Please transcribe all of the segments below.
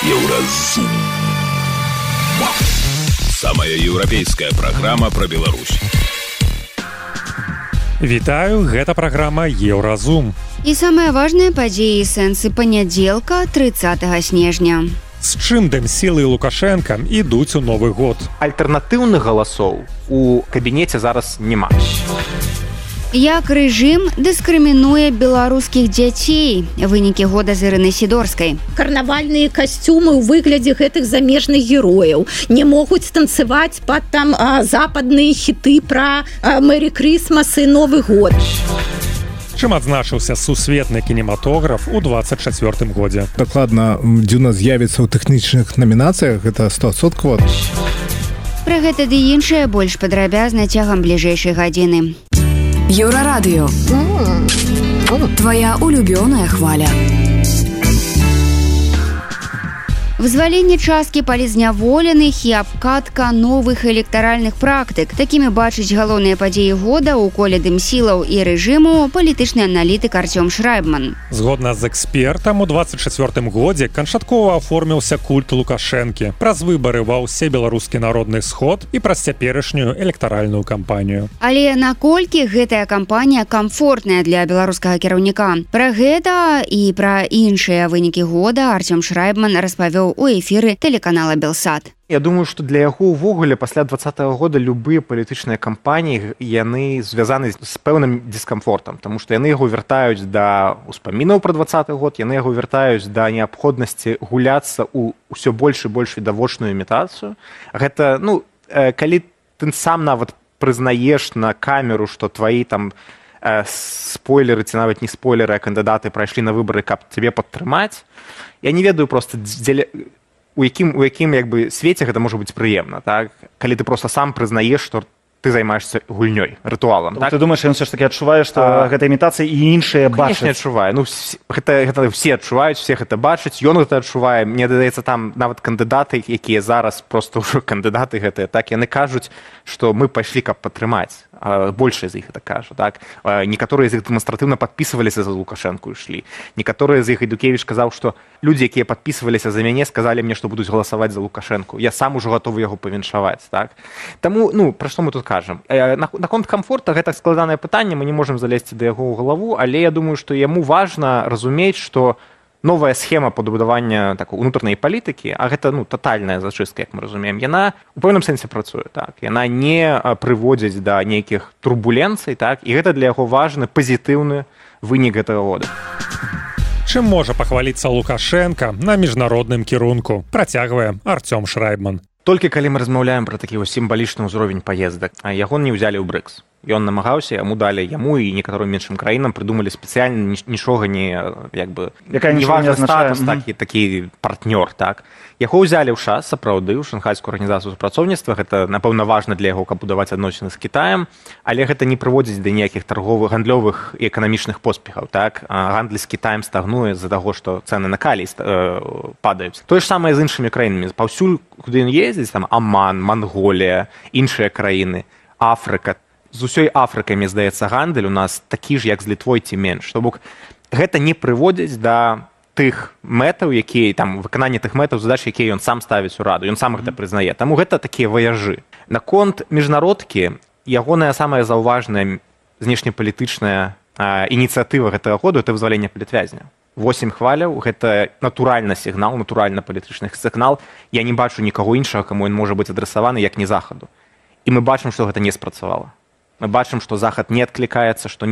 Еўразум. Самая еўрапейская праграма пра Беларусь. Вітаю, гэта праграма Еўразум. І самыя важныя падзеі і сэнсы панядзелка 30 снежня. З чым Дэмсіл і Лукашенка ідуць у Новы год? Альтэрнатыўных галасоў у кабінеце зараз няма. Як рэжым дыскрымінуе беларускіх дзяцей? Вынікі года з Ірынай Сідорскай. Карнавальныя касцюмы ў выглядзе гэтых замежных герояў не могуць танцаваць пад там западныя хіты пра Мэри Крісмас і Новы год. Чым адзначыўся сусветны кінематограф у 24-м годзе? Дакладна, дзюна з'явіцца ў тэхнічных намінацыях, гэта 100%. Пра гэта ды іншае больш падрабязна цягам бліжэйшай гадзіны. Еўрарадыё. Твоя улюбёная хваля. Вызваленне часткі палізняволеных і абкатка новых электаральных практык. Такімі бачыць галоўныя падзеі года ў коле Дэмсілаў і рэжыму палітычны аналітык Артём Шрайбман. Згодна з экспертам, у 24-м годзе канчаткова аформіўся культ Лукашэнкі праз выбары ва ўсе беларускі народны сход і праз цяперашнюю электаральную кампанію. Але наколькі гэтая кампанія камфортная для беларускага кіраўніка? Пра гэта і пра іншыя вынікі года Артём Шрайбман распавёў у эфіры тэлеканала Белсат. Я думаю, што для яго ўвогуле пасля 20-го года любыя палітычныя кампаніі яны звязаны з пэўным дыскамфортам, таму што яны яго вяртаюць да ўспамінаў пра 20-й год, яны яго вяртаюць да неабходнасці гуляцца ў ўсё больш і больш відавочную імітацыю. Гэта, калі ты сам нават прызнаеш на камеру, што тваі там спойлеры ці нават не спойлеры, а кандыдаты прайшлі на выбары, каб цябе падтрымаць. Я не ведаю проста, у якім свеце гэта можа быць прыемна, так? Калі ты проста сам прызнаеш, што ты займаешься гульнёй, рытуалам. Так? Ты думаеш, ён все ж таки адчувае, што гэта імітацыя і іншыя бачаць? Конечно, адчувае. Гэта все адчуваюць, все гэта бачаць, ён гэта адчувае. Мне даецца, там нават кандыдаты, якія зараз проста ўжо кандыдаты гэтыя, так, яны кажуць, што мы пайшлі, каб падтрымаць. Большая з іх гэта кажа, так. Некаторыя з іх дэманстратыўна падпісваліся за Лукашэнку і шлі. Некаторыя з іх Ідукевіч казаў, што людзі, якія падпісваліся за мяне, сказалі мне, што будуць галасаваць за Лукашэнку. Я сам ужо гатовы яго павіншаваць, так. Таму, пра што мы тут кажам? Наконт камфорта гэта складанае пытанне, мы не можам залезці да яго ў галаву, але я думаю, што яму важна разумець, што новая схема падбудавання такой унутранай палітыкі, а гэта татальная зачыстка, як мы разумеем, яна у пэўным сэнсе працуе, так. Яна не прыводзіць да нейкіх турбуленцый, так, і гэта для яго важны пазітыўны вынік гэтага года. Чым можа пахваліцца Лукашенка на міжнародным кірунку? Працягвае Артём Шрайбман. Толькі калі мы размаўляем пра такі сімвалічны ўзровень паездак, яго не ўзялі ў БРИКС. Ён намагаўся, яму далі яму і некаторым меншым краінам прыдумалі спецыяльна нічога не важны статус, такі партнёр, так. Яго ўзялі ў ШАС, сапраўды, ў шанхайскую арганізацыю супрацоўніцтва, гэта, напэўна, важна для яго, каб будаваць адносіны з Кітаем, але гэта не прыводзіць да ніякіх торговых, гандлёвых і эканамічных поспехаў, так. Гандль з Кітаем стагнуе з-за таго, што цэны на калій падаюць. Тое ж самае з іншымі краінамі. Паўсюль, куды ён ездзіць, там Аман, Манголія, іншыя краіны, Афрыка. З усёй Афрыкай, мне здаецца, гандаль у нас такі ж, як з Літвой ці менш. То бок, гэта не прыводзіць да тых мэтаў, якія, там, выканання тых мэтаў, задач, якія ён сам ставіць у раду. Ён сам гэта прызнае. Таму гэта такія ваяжы. Наконт міжнародкі, ягоная самая заўважная знешнепалітычная ініцыятыва гэтага году — это вызваленне палітвязня. 8 хваляў — гэта натуральны сігнал, натуральна палітычны сігнал. Я не бачу нікаго іншага, каму ён можа быць адрасаваны, як не Захаду. І мы бачым, што гэта не спрацавала. Мы бачым, што Захад не адклікаецца, што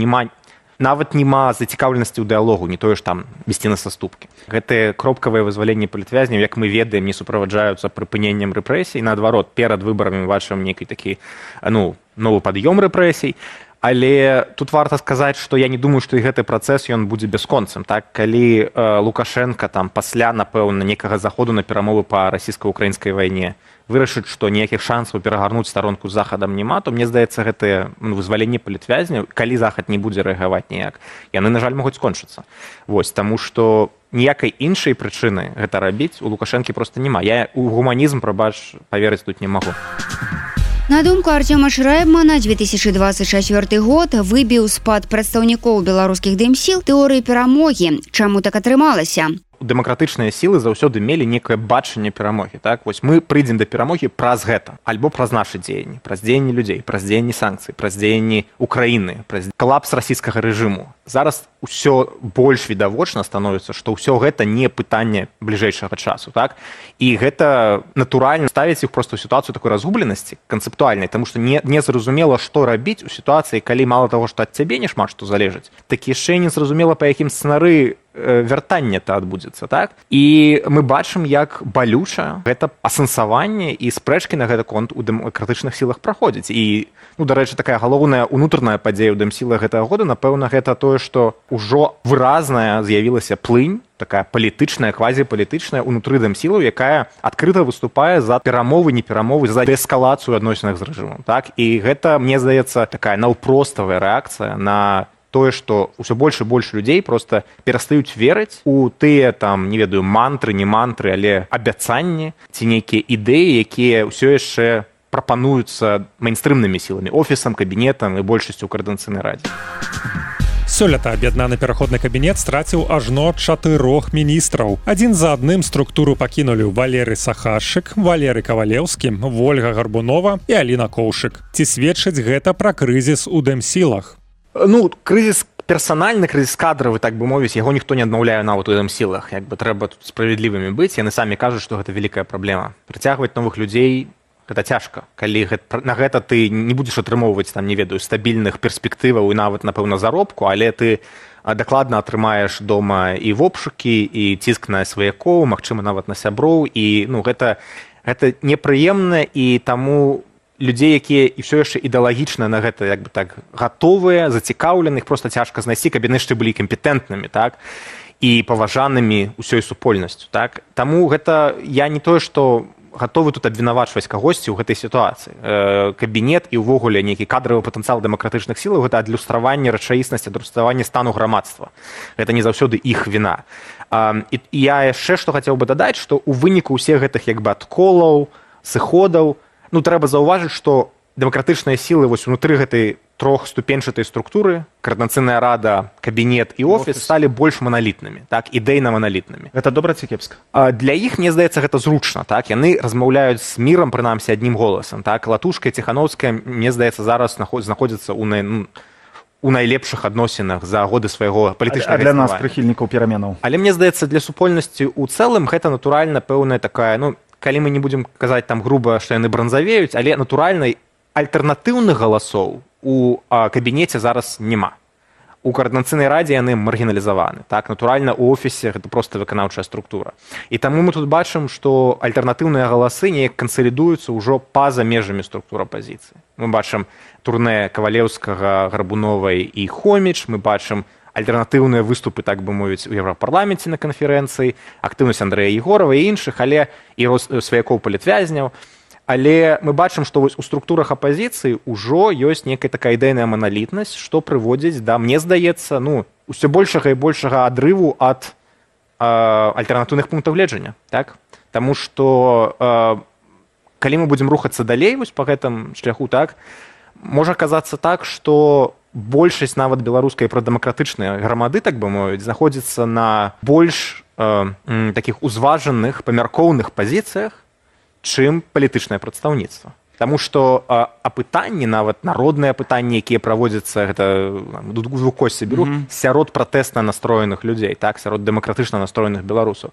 нават няма зацікаўленасці ў дыялогу, не тое ж там весці на саступкі. Гэтыя кропкавыя вызваленні палітвязняў, як мы ведаем, не суправаджаюцца прыпыненнем рэпрэсій. Наадварот, перад выбарамі мы бачым нейкі такі новы пад'ём рэпрэсій. Але тут варта сказаць, што я не думаю, што і гэты працэс ён будзе бясконцым. Так, калі Лукашенка там пасля, напэўна, некага заходу на перамовы па расійска-украінскай вайне вырашыць, што ніякіх шансаў перагарнуць старонку з Захадам няма, то мне здаецца, гэтыя вызваленні палітвязняў, калі Захад не будзе рэагаваць ніяк, яны, на жаль, могуць скончыцца. Таму што ніякай іншай прычыны гэта рабіць у Лукашэнкі проста няма. Я у гуманізм, паверыць тут не магу. На думку Артёма Шрайбмана, 2024 год выбіў з-пад прадстаўнікоў беларускіх дэмсіл тэорыі перамогі. Чаму так атрымалася? дэмакратычныя сілы заўсёды мелі некае бачанне перамогі. Так? Вось мы прыйдзем да перамогі праз гэта, альбо праз нашы дзеянні, праз дзеянні людзей, праз дзеянні санкцый, праз дзеянні Украіны, праз калапс расійскага рэжыму. Зараз усё больш відавочна становіцца, што ўсё гэта не пытанне бліжэйшага часу. Так? І гэта натуральна ставіць іх проста ў сітуацыю такой разгубленасці канцэптуальнай, таму што не зразумела, што рабіць у сітуацыі, калі мала таго, што ад цябе не шмат што залежыць, так яшчэ не зразумела, па якім сцэнары вяртання-то адбудзецца. Так? І мы бачым, як балюча гэта асэнсаванне і спрэчкі на гэты конт у дэмакратычных сілах праходзіць. І, дарэчы, такая галоўная унутраная падзея ў дэмсілах гэтага года, напэўна, гэта тое, што ўжо выразная з'явілася плынь, такая палітычная, квазіпалітычная унутры дэмсілаў, якая адкрыта выступае за перамовы, неперамовы, за дэскалацыю адносінах з рэжымам. Так? І гэта, мне здаецца, такая наўпроставая рэакцыя на тое, што ўсё больш і больш людзей проста перастаюць верыць у тыя, там, не ведаю, мантры, не мантры, але абяцанні ці нейкія ідэі, якія ўсё яшчэ прапануюцца мейнстрымнымі сіламі, офісам, кабінетам і большасцю ў Коардынацыйнай радзе. Сёлета аб'яднаны пераходны кабінет страціў ажно 4 міністраў. Адзін за адным структуру пакінулі Валерый Сахарчык, Валерый Кавалеўскі, Вольга Гарбунова і Аліна Коўшык. Ці сведчыць гэта пра крызіс у дэмсілах? Крызіс персанальны, крызіс кадравы, так бы мовіць, яго ніхто не аднаўляе нават у дэмсілах. Як бы трэба тут справядлівымі быць, яны самі кажуць, што гэта вялікая праблема. Прыцягваць новых людзей гэта цяжка. Калі на гэта ты не будзеш атрымоўваць, там, не ведаю, стабільных перспектываў і нават, напэўна, заробку, але ты дакладна атрымаеш дома і вопшукі, і ціск на сваякоў, магчыма, нават на сяброў, і гэта непрыемна, і таму людзей, якія і ўсё яшчэ ідэалагічна на гэта як бы так гатовыя, зацікаўленых, проста цяжка знайсці, каб яны яшчэ былі кампетэнтнымі, так, і паважанымі ўсёй супольнасцю. Так. Таму гэта я не тое, што гатовы тут абвінавачваць кагосьці ў гэтай сітуацыі. Кабінет і ўвогуле нейкі кадравы патэнцыял дэмакратычных сілаў гэта адлюстраванне рэчаіснасці, адлюстраванне стану грамадства. Гэта не заўсёды іх віна. І я яшчэ што хацеў бы дадаць, што ў выніку ўсіх гэтых як бы адколаў, сыходаў, трэба заўважыць, што дэмакратычныя сілы вось унутры гэтай трохступенчатай структуры, Коардынацыйная рада, кабінет і офіс сталі больш маналітнымі, так, ідэйна маналітнымі. Гэта добра ці кепска? Для іх, мне здаецца, гэта зручна, так, яны размаўляюць з мірам, прынамсі, аднім голасам, так, Латушка і Ціханаўская, мне здаецца, зараз знаходзяцца у найлепшых адносінах за годы свайго палітычнага існавання. А для нас, прыхільнікаў пераменаў? Але мне здаецца, для супольнасці ў цэлым гэта натуральна пэўная такая, калі мы не будзем казаць там груба, што яны бранзавеюць, але натуральна альтэрнатыўных галасоў у кабінеце зараз няма. У Коардынацыйнай радзе яны маргіналізаваны. Так, натуральна, у офісе гэта проста выканаўчая структура. І таму мы тут бачым, што альтэрнатыўныя галасы неяк кансалідуюцца ўжо па-за межамі структур апазіцыі. Мы бачым турнэ Кавалеўскага, Гарбуновай і Хоміч, мы бачым альтэрнатыўныя выступы, так бы мовіць, у Еўрапарламенце на канферэнцыі, актыўнасць Андрэя Егорова і іншых, але і сваякоў палітвязняў. Але мы бачым, што вось у структурах апазіцыі ўжо ёсць некая такая ідэйная маналітнасць, што прыводзіць да, мне здаецца, усё большага і большага адрыву ад альтэрнатыўных пунктаў гледжання. Так? Таму што калі мы будзем рухацца далей вось па гэтым шляху, так, можа казацца так, што большасць нават беларускай прадэмакратычнай грамады, так бы мовіць, знаходзіцца на больш такіх узважаных, памяркоўных пазіцыях, чым палітычнае прадстаўніцтва. Таму што апытанні, нават народныя апытанні, якія праводзяцца, гэта двукосці беру, сярод пратэсна настроеных людзей, так, сярод дэмакратычна настроеных беларусаў.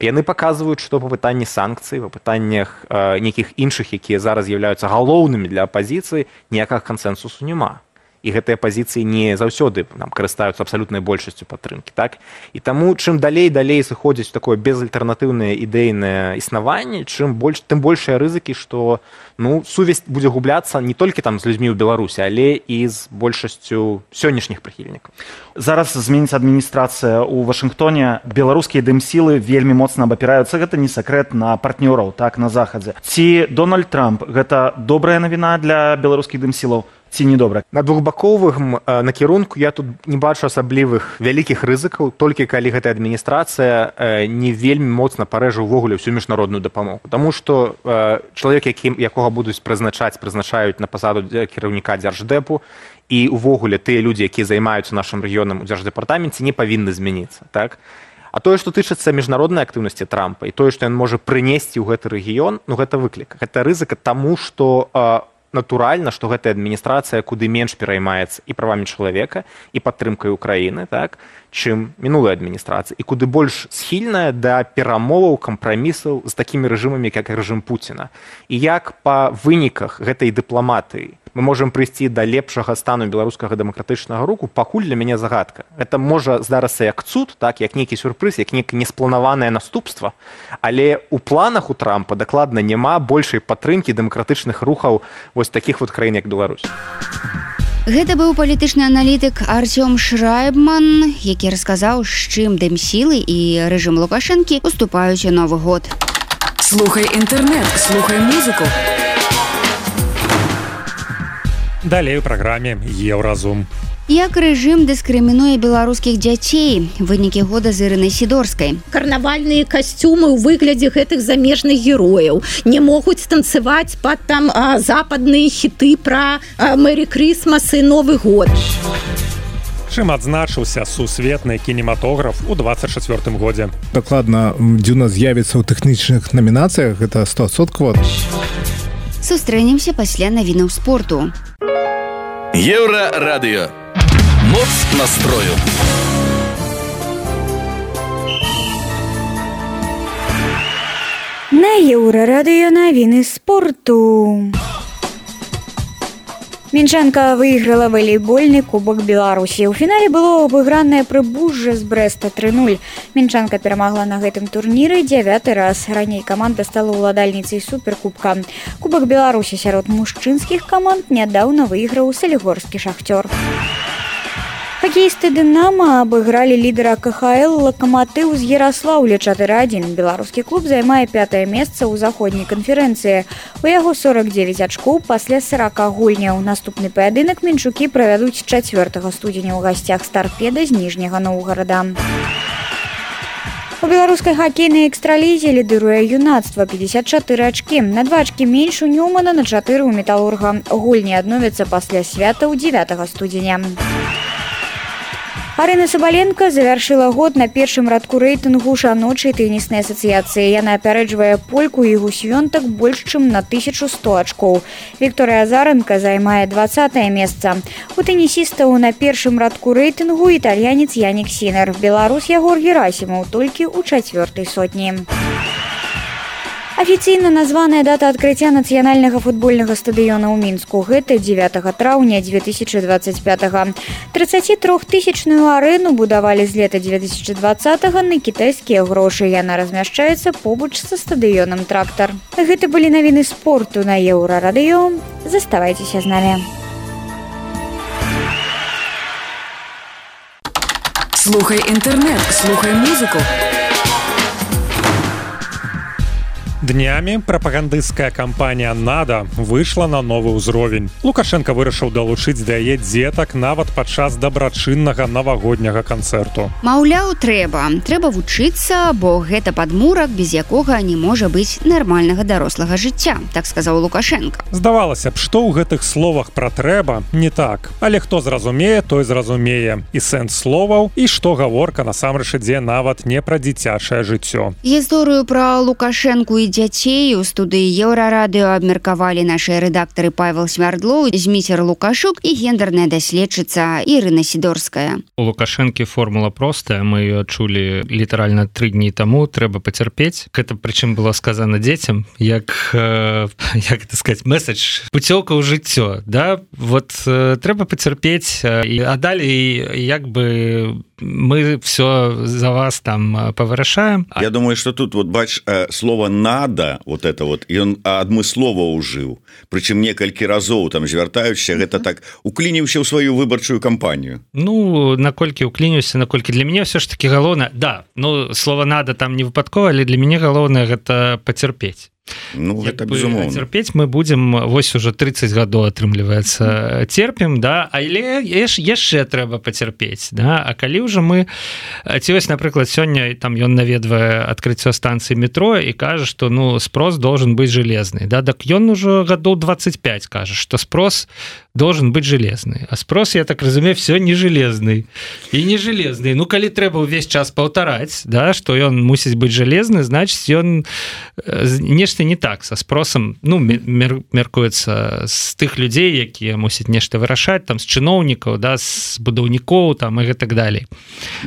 Яны паказваюць, што па пытанні санкцый, па пытаннях нейкіх іншых, якія зараз з'яўляюцца галоўнымі для апазіцыі, ніякага кансэнсусу няма. І гэтыя пазіцыі не заўсёды карыстаюцца абсалютнай большасцю падтрымкі. Так? І таму, чым далей сыходзіць такое безальтэрнатыўнае ідэйнае існаванне, тым большыя рызыкі, што сувязь будзе губляцца не толькі там з людзьмі ў Беларусі, але і з большасцю сённяшніх прыхільнікаў. Зараз зменіцца адміністрацыя ў Вашынгтоне. Беларускія дэмсілы вельмі моцна абапіраюцца. Гэта не сакрэт на партнёраў, так, на захадзе. Ці Дональд Трамп гэта добрая навіна для беларускіх дэмсілаў? Ці не добра? На двухбаковым накірунку я тут не бачу асаблівых вялікіх рызыкаў, толькі калі гэтая адміністрацыя не вельмі моцна парэжа ўвогуле ўсю міжнародную дапамогу. Таму што чалавек, якога будуць прызначаюць на пасаду кіраўніка дзярждэпу, і ўвогуле тыя людзі, якія займаюцца нашым рэгіёнам у дзярждэпартаменце, не павінны змяніцца. Так? А тое, што тычыцца міжнароднай актыўнасці Трампа і тое, што ён можа прынесці ў гэты рэгіён, ну гэта выклік. Гэта рызыка таму, што натуральна, што гэтая адміністрацыя куды менш пераймаецца і правамі чалавека, і падтрымкай Украіны, так, чым мінулая адміністрацыя, і куды больш схільная да перамоваў, кампрамісаў з такімі рэжымамі, як рэжым Пуціна. І як па выніках гэтай дыпламатыі мы можам прыйсці да лепшага стану беларускага дэмакратычнага руху, пакуль для мяне загадка. Это можа здарыцца як цуд, так, як нейкі сюрпрыз, як нейкае неспланаванае наступства, але ў планах у Трампа дакладна няма большай падтрымкі дэмакратычных рухаў вось такіх вот краін, як Беларусь. Гэта быў палітычны аналітык Артём Шрайбман, які расказаў, з чым дэмсілы і рэжым Лукашэнкі уступаюць у Новы год. Слухай інтэрнэт, слухай музыку. Далей у праграме Еўразум. Як рэжым дыскрымінуе беларускіх дзяцей? Вынікі года з Ірынай Сідорскай. Карнавальныя касцюмы ў выглядзе гэтых замежных герояў не могуць танцаваць пад там западныя хіты пра Мэри Крісмас і Новы год. Чым адзначыўся сусветны кінематограф у 24 годзе? Дакладна, дзюна з'явіцца ў тэхнічных намінацыях, гэта 100%. Сустрэнемся пасля навінаў спорту. Еўрарадыё. Моц настрою. На Еўрарадыё навіны спорту. Мінчанка выйграла валейбольны кубак Беларусі. У фінале было абыгранае Прыбужжа з Брэста 3-0. Мінчанка перамагла на гэтым турніры 9-й раз. Раней каманда стала ўладальніцай суперкубка. Кубак Беларусі сярод мужчынскіх каманд нядаўна выйграў салігорскі Шахцёр. Хакеісты «Дынама» абыгралі лідера КХЛ «Лакаматыў» з Яраслаўля 4-1. Беларускі клуб займае 5-е месца ў заходняй канферэнцыі. У яго 49 ачкоў пасля 40 гульняў. Наступны паядынак мінчукі правядуць 4 студзеня ў гасцях з «Тарпеда» з Ніжняга Новгарада. У беларускай хакейнай экстралізе лідыруе юнацтва 54 ачкі. На 2 ачкі менш у Ньюмана, на 4 у Металурга. Гульні адновяцца пасля святаў 9 студзеня. Арына Сабаленко завяршыла год на першым радку рэйтынгу жаночай тэніснай асацыяцыі. Яна апярэджвае польку Ігу Свёнтак больш чым на 1100 ачкоў. Вікторыя Азаренка займае 20-е месца. У тэнісістаў на першым радку рэйтынгу італьянец Янік Сінер. Беларус Ягор Герасімаў толькі ў 4-й сотні. Афіцыйна названая дата адкрыцця нацыянальнага футбольнага стадыёна ў Мінску. Гэта 9 траўня 2025. 33-тысячную арэну будавалі з лета 2020-го на кітайскія грошы. Яна размяшчаецца побач са стадыёнам «Трактар». Гэта былі навіны спорту на Еўрарадыё. Заставайцеся з намі. Слухай інтэрнэт, слухай музыку. Днямі прапагандысцкая кампанія «Нада» выйшла на новы ўзровень. Лукашенко вырашыў далучыць да яе дзетак нават падчас дабрачыннага навагодняга канцэрту. Маўляў, трэба вучыцца, бо гэта падмурак, без якога не можа быць нармальнага дарослага жыцця, так сказаў Лукашенко. Здавалася б, што ў гэтых словах пра трэба не так. Але хто зразумее, той зразумее. І сэнс словаў, і што гаворка насамрэч ідзе нават не пра дзіцячае жыццё. Гісторыю пра Лукашэнку і дзяцей у студыі Еўрарадыё абмеркавалі нашыя рэдактары Павел Смярдлоў, Зміцер Лукашук і гендерная даследчыца Ірына Сідорская. У Лукашэнкі формула простая, мы ее чулі літаральна 3 дні таму, трэба пацярпець. Гэта прычым было сказана дзецям, як это сказаць, месседж, путёўка ў жыццё, да? Вот трэба пацярпець, а далей як бы мы все за вас там повырашаем. Я думаю, что тут вот бач слово «надо», вот это вот, и он адмыслова ужыў, прычым некалькі разоў там звяртаючыся, гэта так уклініўся ў сваю выбарчую кампанію. Ну, наколькі уклініўся, наколькі для мяне все ж таки галоўнае, да, ну слово «надо» там не выпадкова, але для мяне галоўнае гэта пацярпець. Ну, гэта безумоўна. Церпець мы будзем, вось уже 30 гадоў атрымліваецца, церпім, да, але яшчэ трэба пацярпець, да, а калі ўжо мы, ці вось, напрыклад, сёння там ён наведвае адкрыццё станцыі метро і кажа, што, ну, спрос должен быць жалезны, да, так ён ужо гадоў 25 кажа, што спрос должен быть железный, а спрос, я так разумею, все не железный и не железный. Ну калі трэба ўвесь час паўтараць, да, што ён мусіць быць железны, значыць ён нешта не так са спросам, ну мяркуецца з тых людзей, якія мусяць нешта вырашаць, там з чыноўнікаў, да, з будаўнікоў там і так далей.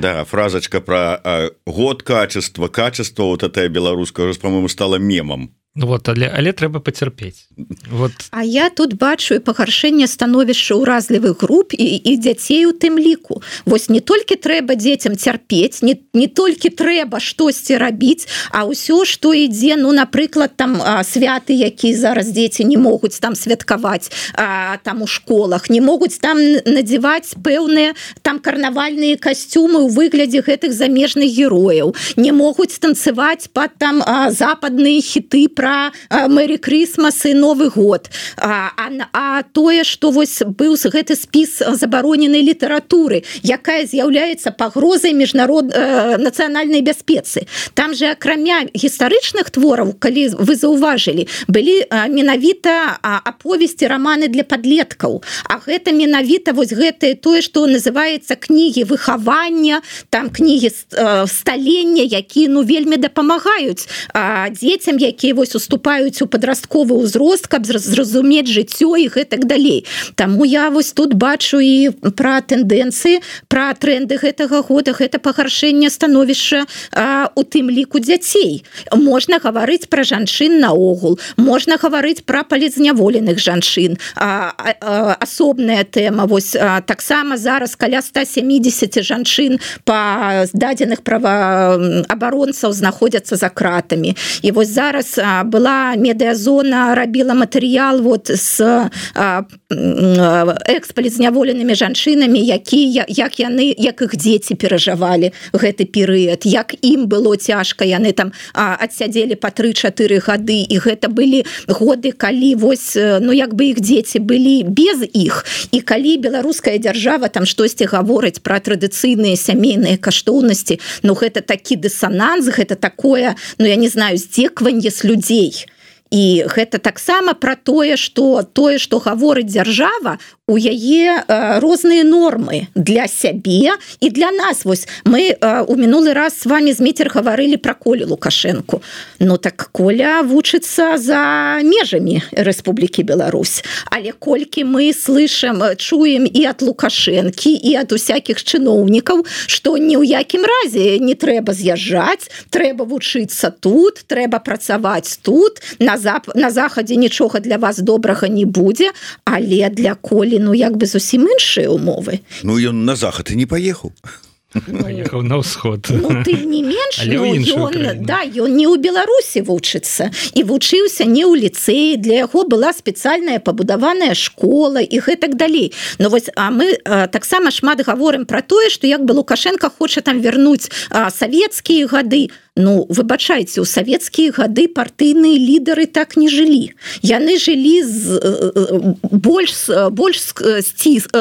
Да, фразочка про год качества, вот эта беларуская уже, по-моему, стала мемом. Вот, але трэба пацярпець. Вот. А я тут бачу і пагаршэнне становішча ўразлівых груп і дзяцей у тым ліку. Вось не толькі трэба дзецям цярпець, не толькі трэба штосьці рабіць, а ўсё, што ідзе, ну, напрыклад, там святы, якія зараз дзеці не могуць там святкаваць там у школах, не могуць там надзяваць пэўныя там карнавальныя касцюмы ў выглядзе гэтых замежных герояў, не могуць танцаваць пад там западныя хіты про Мэри Крисмас і Новы год. А тое, што вось быў гэты спіс забароненай літаратуры, якая з'яўляецца пагрозай нацыянальнай бяспецы. Там же акрамя гістарычных твораў, калі вы заўважылі, былі менавіта аповесці, раманы для падлеткаў. А гэта менавіта вось гэтае тое, што называецца кнігі выхавання, там кнігі сталення, якія ну вельмі дапамагаюць дзецям, якія вось уступаюць у падрастковы ўзрост, каб зразумець жыццё і гэтак далей. Таму я вось тут бачу і пра тэндэнцыі, пра тренды гэтага года, гэта пагаршэнне становішча у тым ліку дзяцей. Можна гаварыць пра жанчын наогул, можна гаварыць пра палізняволеных жанчын. Асобная тэма, вось таксама зараз каля 170 жанчын па дадзеных праваабаронцаў знаходзяцца за кратамі. І вось зараз была медыазона, рабіла матэрыял вот з экс-палізняволенымі жанчынамі, як іх дзеці перажывалі гэты перыяд, як ім было цяжка, яны там адсядзелі па 3-4 гады, і гэта былі годы, калі вось, ну як бы іх дзеці былі без іх, і калі беларуская дзяржава там штосьці гаворыць пра традыцыйныя сямейныя каштоўнасці, ну гэта такі дысананс, гэта такое, ну я не знаю, здзекванне з людзей. І гэта таксама пра тое, што гаворыць дзяржава, у яе розныя нормы для сябе і для нас. Вось мы у мінулы раз с вами з Міцер гаварылі пра Колю Лукашэнку. Ну так Коля вучыцца за межамі Рэспублікі Беларусь. Але колькі мы чуем і ад Лукашэнкі, і ад усякіх чыноўнікаў, што ні ў якім разе не трэба з'язджаць, трэба вучыцца тут, трэба працаваць тут, на захадзе нічога для вас добрага не будзе, але для Колі, ну як бы зусім іншыя умовы. Ну ён на захад і не паехаў. Паехаў на ўсход. Ну, тым не менш, ён не ў Беларусі вучыцца. І вучыўся не ў ліцэі, для яго была спецыяльная пабудаваная школа і гэтак далей. Но вось, мы таксама шмат гаворым пра тое, што як бы Лукашенко хоча там вярнуць савецкія гады. Ну, выбачайце, у савецкія гады партыйныя лідары так не жылі. Яны жылі больш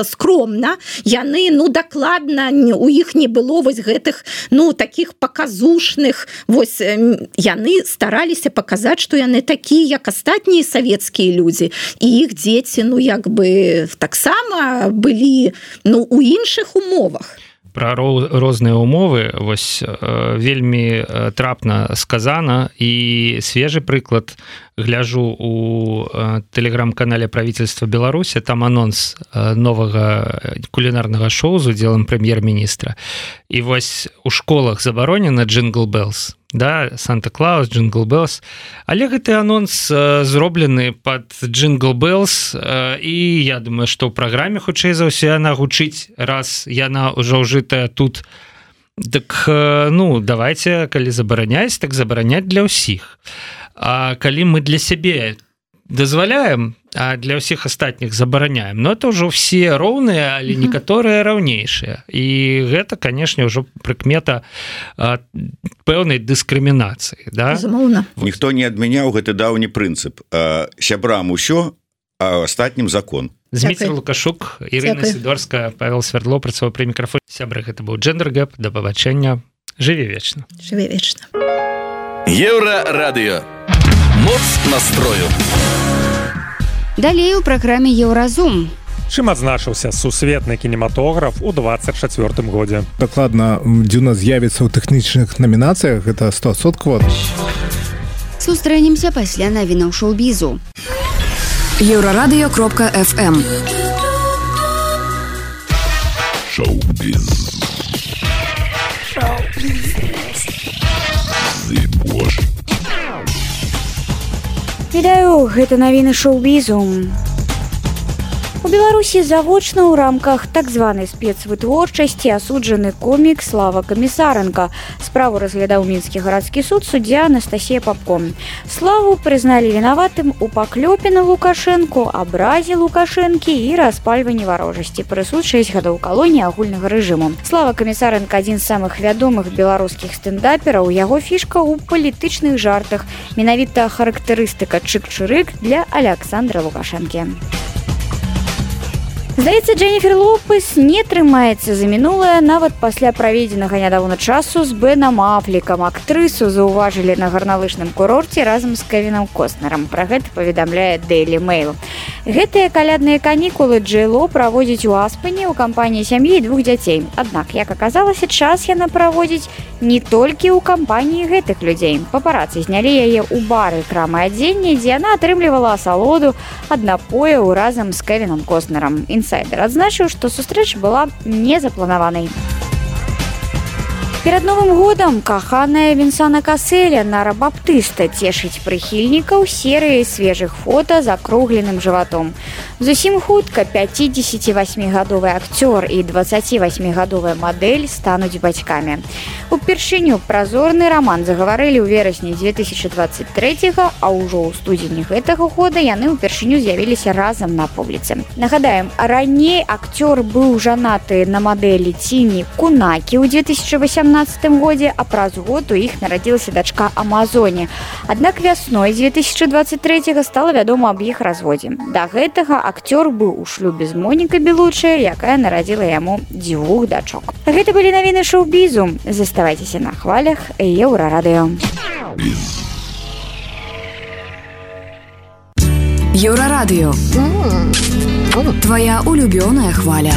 скромна, яны, ну, дакладна, у іх не было вось гэтых, ну, такіх паказушных, вось, яны стараліся паказаць, што яны такія, як астатнія савецкія людзі, і іх дзеці, ну, як бы, таксама былі, ну, у іншых умовах. Пра розныя умовы вось вельмі трапна сказана, і свежы прыклад гляжу у тэлеграм-канале правительства Беларусі, там анонс новага кулінарнага шоу з удзелам прэм'ер-міністра. І вось у школах забаронена Jingle Bells, да, Санта-Клаус, Jingle Bells, але гэты анонс зроблены пад Jingle Bells, і я думаю, што ў праграме хутчэй за ўсё яна гучыць, раз яна ўжо ўжытая тут. Так, ну, давайте, калі забараняць, так забараняць для ўсіх. А калі мы для сябе дазваляем, а для ўсіх астатніх забараняем, но это ўжо все роўныя, але некаторыя раўнейшыя. І гэта, канешне, ўжо прыкмета пэўнай дыскрымінацыі. Да? Ніхто не адмяняў гэты даўні прынцып. Сябрам усё, а астатнім закон. Зміцер Лукашук, Ірына Сідорская, Павел Свердло, працаваў пры мікрафоне. Сябры, гэта быў Джендер Гэп. Да пабачэння. Жыві вечна. Жыві вечна. Еўрарадыё. Моц настрою. Далей у праграме Еўразум. чым адзначыўся сусветны кінематограф у 24 годзе. Дакладна, Дзюна з'явіцца ў тэхнічных намінацыях, гэта 100%. Сустрэнемся пасля навінаў шоу-бізу. Еврорадио.FM Шоу-біз. Вітаю, гэта навіны шоу-бізу. У Беларусі завочна ў рамках так званай спецвытворчасці асуджаны комік Слава Камісаренка. Справу разглядаў мінскі гарадскі суд суддзя Анастасія Папко. Славу прызналі вінаватым у паклёпе на Лукашэнку, абразе Лукашэнкі і распальванні варожасці. Прысуд 6 гадоў калоніі агульнага рэжыму. Слава Камісаренка адзін з самых вядомых беларускіх стэндапераў. Яго фішка ў палітычных жартах. Менавіта характарыстыка чык-чырык для Аляксандра Лукашэнкі. Здаецца, Дженніфер Лопес не трымаецца за мінулае нават пасля праведзенага нядаўна часу з Бенам Афлікам. Актрысу заўважылі на гарналыжным курорце разам з Кевінам Костнерам. Пра гэта паведамляе Daily Mail. Гэтыя калядныя канікулы Джей-Ло праводзіць у Аспене ў кампаніі сям'і і 2 дзяцей. Аднак, як аказалася, час яна праводзіць не толькі ў кампаніі гэтых людзей. Папарацы знялі яе ў бары крамы адзення, дзе яна атрымлівала асалоду ад напояў разам з Кевінам Костнерам. Інсайдер адзначыў, што сустрэча была незапланаванай. Перад Новым годам каханая Вінсана Каселя Нара Баптыста цешыць прыхільнікаў серыяй свежых фота з акругленым жыватом. Зусім хутка 58-гадовы акцёр і 28-гадовая мадэль стануць бацькамі. Упершыню празорны раман загаварылі ў верасні 2023, а ўжо ў студзені гэтага года яны ўпершыню з'явіліся разам на публіцы. Нагадаем, раней акцёр быў жанаты на мадэлі Ціні Кунакі ў 2018 годзе, а праз год у іх нарадзілася дачка Амазоне. Аднак вясной 2023 стала вядома аб іх разводзе. Да гэтага акцёр быў у шлюбе з Монікай Белучай, якая нарадзіла яму 2 дачок. Гэта былі навіны шоу-бізу. Заставайцеся на хвалях Еўрарадыё. Еўрарадыё. Твоя улюбёная хваля.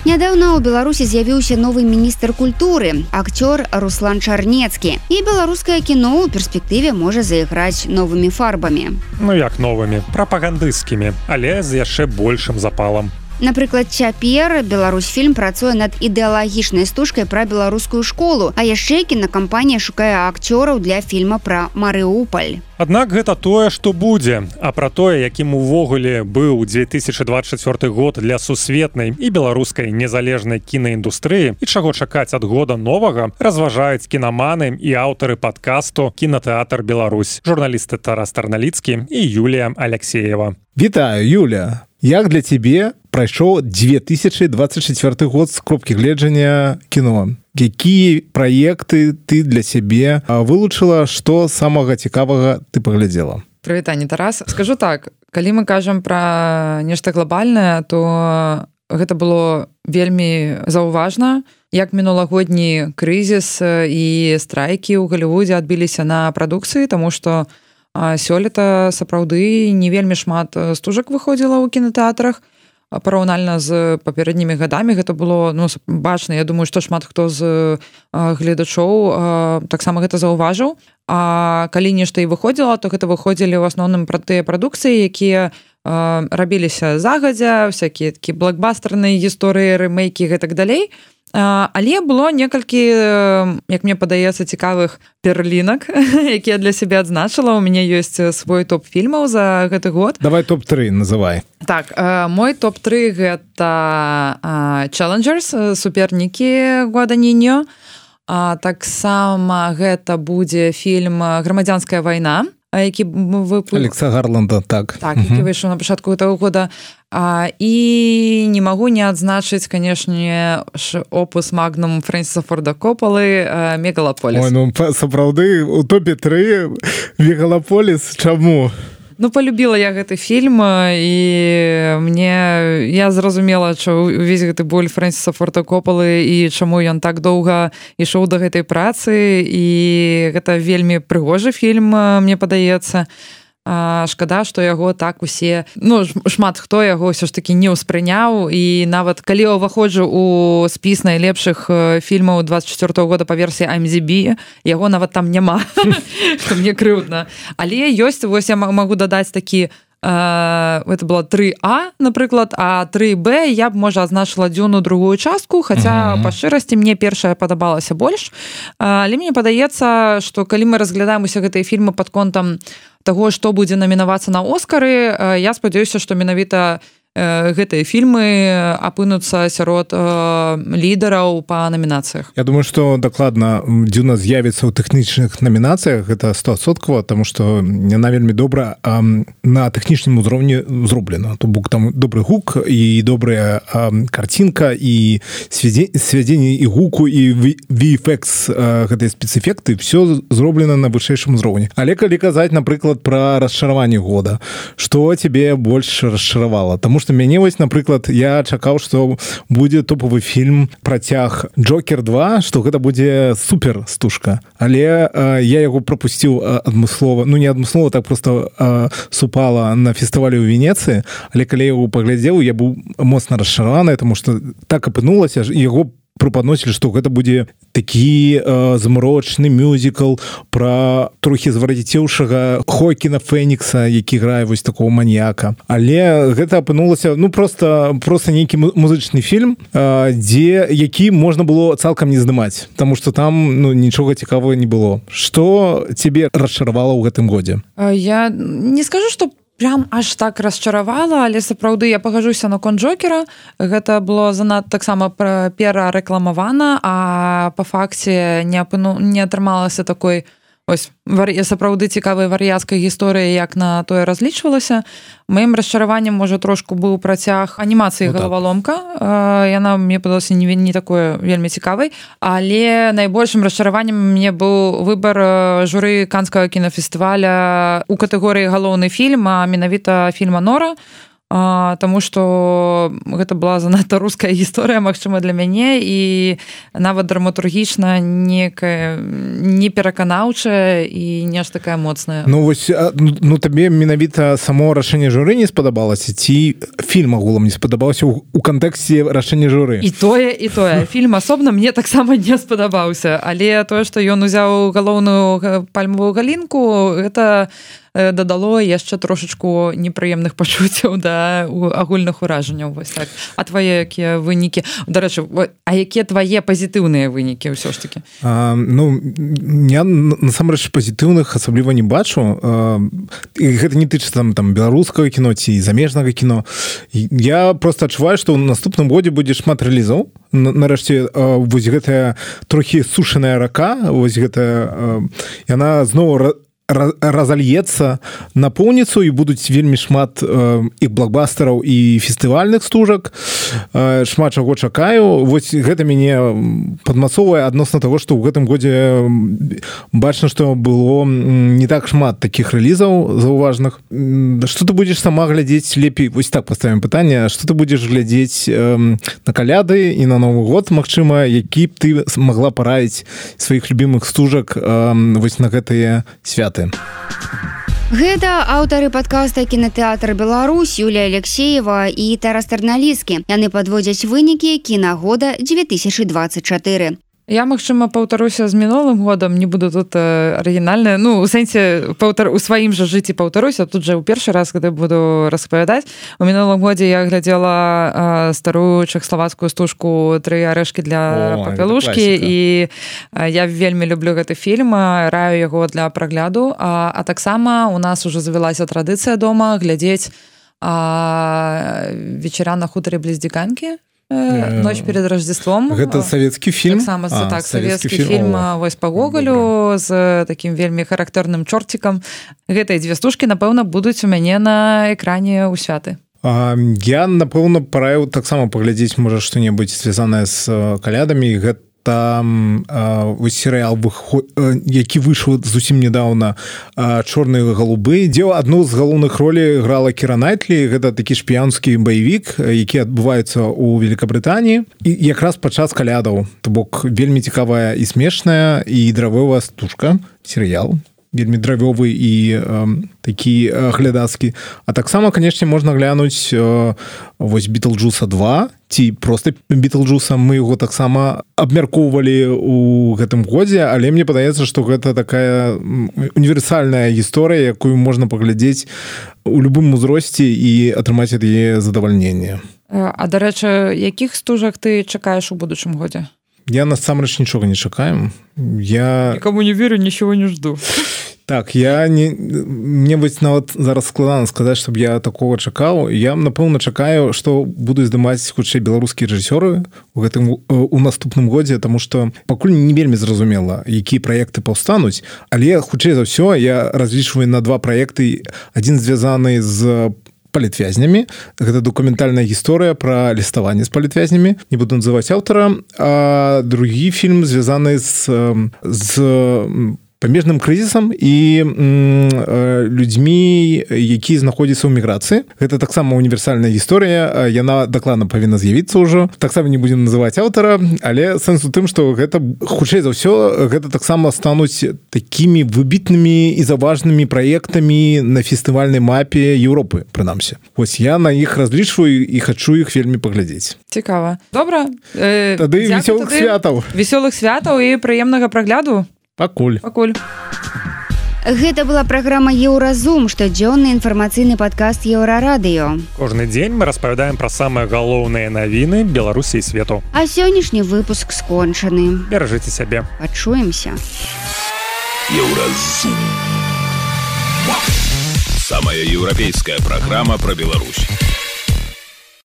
Нядаўна ў Беларусі з'явіўся новы міністр культуры, акцёр Руслан Чарнецкі. І беларускае кіно ў перспектыве можа зайграць новымі фарбамі. Ну як новымі, прапагандысцкімі, але з яшчэ большым запалам. Напрыклад, цяпер Беларусьфільм працуе над ідэалагічнай стужкай пра беларускую школу, а яшчэ кінакампанія шукае акцёраў для фільма пра Марыуполь. Аднак гэта тое, што будзе, а пра тое, якім увогуле быў 2024 год для сусветнай і беларускай незалежнай кінаіндустрыі і чаго чакаць ад года новага, разважаюць кінаманы і аўтары падкасту «Кінатэатр Беларусь», журналісты Тарас Тарналіцкі і Юлія Алексеева. Вітаю, Юля! Як для цябе прайшоў 2024 год з кропкі гледжання кіно? Якія праекты ты для сябе вылучыла, што самага цікавага ты паглядзела? Прывітанне, Тарас. Скажу так, калі мы кажам пра нешта глобальнае, то гэта было вельмі заўважна, як мінулагодні крызіс і страйкі ў Галівудзе адбіліся на прадукцыі, таму што сёлета сапраўды не вельмі шмат стужак выходзіла ў кінатэатрах. Параўнальна з папярэднімі гадамі гэта было бачна. Я думаю, што шмат хто з гледачоў таксама гэта заўважыў. А калі нешта і выходзіла, то гэта выходзілі ў асноўным пра тыя прадукцыі, якія рабіліся загадзя, всякія такі блокбастерныя гісторыі, рэмейкі і гэтак далей. Але было некалькі, як мне падаецца, цікавых перлінак, якія для сябе адзначыла. У мяне ёсць свой топ фільмаў за гэты год. Давай топ-3 называй. Так, мой топ-3 гэта Challengers, супернікі Гуаданіньо. Таксама гэта будзе фільм «Грамадзянская вайна», які Алекса Гарланда, так. Так, які выйшаў на пачатку гэтага года. І не магу не адзначыць, канешне, опус магнум Фрэнсіса Форда Коппалы «Мегалаполіс». Ой, ну сапраўды у топе 3 «Мегалаполіс». Чаму? Ну, полюбіла я гэты фільм, і я зразумела, што увесь гэты боль Фрэнсіса Форда Коппалы і чаму ён так доўга ішоў да гэтай працы, і гэта вельмі прыгожы фільм, мне падаецца. шкада, што яго так усе, ну, шмат хто яго ўсё ж такі не ўспрыняў, і нават калі я ўваходжу у спіс найлепшых фільмаў 24-го года па версіі IMDb, яго нават там няма, што мне крыўдна. Але ёсць, вось я магу дадаць такі, это было 3А, напрыклад, а 3Б я б, можа, азначыла Дзюну другую частку, хаця па шчырасці мне першая падабалася больш. Але мне падаецца, што калі мы разглядаем усе гэтыя фільмы пад контам таго, што будзе намінавацца на Оскары, я спадзяюся, што менавіта гэтыя фільмы апынуцца сярод лідараў па намінацыях. Я думаю, што дакладна Дзюна з'явіцца ў тэхнічных намінацыях, гэта 100%, таму што яна вельмі добра на тэхнічным узроўні зроблена. То бок там добры гук і добрая карцінка і свядзенне і гуку і VFX гэтыя спецэфекты, все зроблена на вышэйшым узроўні. Але калі казаць, напрыклад, пра расчараванне года, што цябе больш расчаравала? Таму што мяне вось, напрыклад, я чакаў, што будзе топавы фільм працяг Джокер 2, што гэта будзе супер стужка, але я яго прапусціў адмыслова, ну не адмыслова, так просто супала на фестывалі ў Венецыі, але калі я яго паглядзеў, я быў моцна расчараваны, таму што так апынулася, яго прапаносілі, што гэта будзе такі змрочны мюзікл пра трохі звар'яцеўшага Хоакіна Фенікса, які грае вось такого маньяка. Але гэта апынулася, ну, просто нейкі музычны фільм, які можна было цалкам не здымаць, таму што там, ну, нічога цікавага не было. Што цябе расчаравала ў гэтым годзе? Я не скажу, што прям аж так расчаравала, але сапраўды я пагажуся наконт Джокера. Гэта было занадта таксама перарэкламавана, а па факце не атрымалася такой ось сапраўды цікавай вар'яцкай гісторыі, як на тое разлічвалася. Маім расчараваннем, можа, трошку быў працяг анімацыі «Галаваломка». Яна мне падалася не такое вельмі цікавай, але найбольшым расчараваннем мне быў выбар журы Канскага кінафестываля у катэгорыі галоўны фільм, а менавіта фільма «Нора», таму што гэта была занадта руская гісторыя, магчыма, для мяне, і нават драматургічна непераканаўчая і нешта такая моцная. Ну вось, ну табе менавіта само рашэнне журы не спадабалася, ці фільм агулам не спадабаўся ў кантэксце рашэння журы? І тое. Фільм асобна мне таксама не спадабаўся, але тое, што ён узяў галоўную пальмавую галінку, гэта дадало яшчэ трошачку непрыемных пачуццяў да агульных уражанняў. Вось так. А твае якія вынікі? Дарэчы, а якія твае пазітыўныя вынікі ўсё ж такі? Ну, я насамрэч пазітыўных асабліва не бачу. І гэта не тычыцца там беларускага кіно ці замежнага кіно. Я просто адчуваю, што ў наступным годзе будзе шмат рэлізаў. Нарэшце, вось гэтая трохі сушаная рака, вось гэтая, яна зноў разальецца напоўніцу, і будуць вельмі шмат і блокбастараў, і фестывальных стужак. Шмат чаго чакаю. Вось гэта мяне падмацоўвае адносна таго, што ў гэтым годзе бачна, што было не так шмат такіх рэлізаў заўважных. Што ты будзеш сама глядзець лепей? Вось так паставім пытанне. Што ты будзеш глядзець на каляды і на Новы год, магчыма, які б ты магла параіць сваіх любімых стужак вось на гэтыя святы? Гэта аўтары падкаста «Кінатэатр Беларусь» Юлія Алексеева і Тарас Тарналіскі. Яны падводзяць вынікі кінагода 2024. Я, магчыма, паўтаруся з мінулым годам, не буду тут арыгінальная. Ну, у сэнсе, у сваім жа жыцці паўтаруся, тут жа ў першы раз, калі буду распавядаць. У мінулым годзе я глядзела старую чэхаславацкую стужку «Тры арэшкі для папялушкі», і я вельмі люблю гэты фільм, раю яго для прагляду. А таксама у нас ужо завялася традыцыя дома глядзець «Вечара на хутары бліз Дзіканкі». «Ночь перед Рождеством». Гэта савецкі фільм? Так, савецкі фільм вось па Гоголю з такім вельмі характэрным чорцікам. Гэтыя дзве стужкі, напэўна, будуць у мяне на экране ў святы. Я, напэўна, параіў таксама паглядзець, можа, што-небудзь звязанае з калядамі. Гэта серыял, які выйшаў зусім нядаўна, «Чорныя галубы», дзе адну з галоўных ролей грала Кіра Найтлі. Гэта такі шпіёнскі баевік, які адбываецца ў Великабрытаніі, і якраз падчас калядаў. То бок вельмі цікавая і смешная і дравовая стужка, серыял. вельмі дравёвы і такі глядацкі. А таксама, канешне, можна глянуць вось Бітлджуса 2 ці проста Бітлджуса. Мы яго таксама абмяркоўвалі у гэтым годзе, але мне падаецца, што гэта такая універсальная гісторыя, якую можна паглядзець у любым узросце і атрымаць ад яе задавальненне. А, дарэчы, якіх стужак ты чакаеш у будучым годзе? Я насамрэч нічога не чакаю. Я нікому не верю, нічого не жду. Так, мне вось нават зараз складана сказаць, чтобы я такого чакаў. Я, напэўна, чакаю, што буду здымаць хутчэй беларускія рэжысёры у наступным годзе, таму што пакуль не вельмі зразумела, якія праекты паўстануць, але хутчэй за ўсё я разлічваю на 2 праекты. Адзін звязаны з палітвязнямі. Гэта дакументальная гісторыя пра ліставанне з палітвязнямі. Не буду называць аўтара. А другі фільм звязаны з памежным крызісам і людзьмі, якія знаходзяцца ў міграцыі. Гэта таксама універсальная гісторыя, яна дакладна павінна з'явіцца ўжо. Таксама не будзем называць аўтара, але сэнс у тым, што гэта хутчэй за ўсё гэта таксама стануць такімі выбітнымі і заважнымі праектамі на фестывальнай мапе Еўропы, прынамсі. Вось я на іх разлічваю і хачу іх вельмі паглядзець. Цікава. Добра. Тады весёлых святаў. Весёлых святаў і прыемнага прагляду. Пакуль. Гэта была праграма Еўразум, штодзённы інфармацыйны падкаст Еўрарадыё. Кожны дзень мы распавядаем пра самыя галоўныя навіны Беларусі і свету. А сённяшні выпуск скончаны. Беражыце сябе. Пачуемся. Еўразум. Самая еўрапейская праграма пра Беларусь.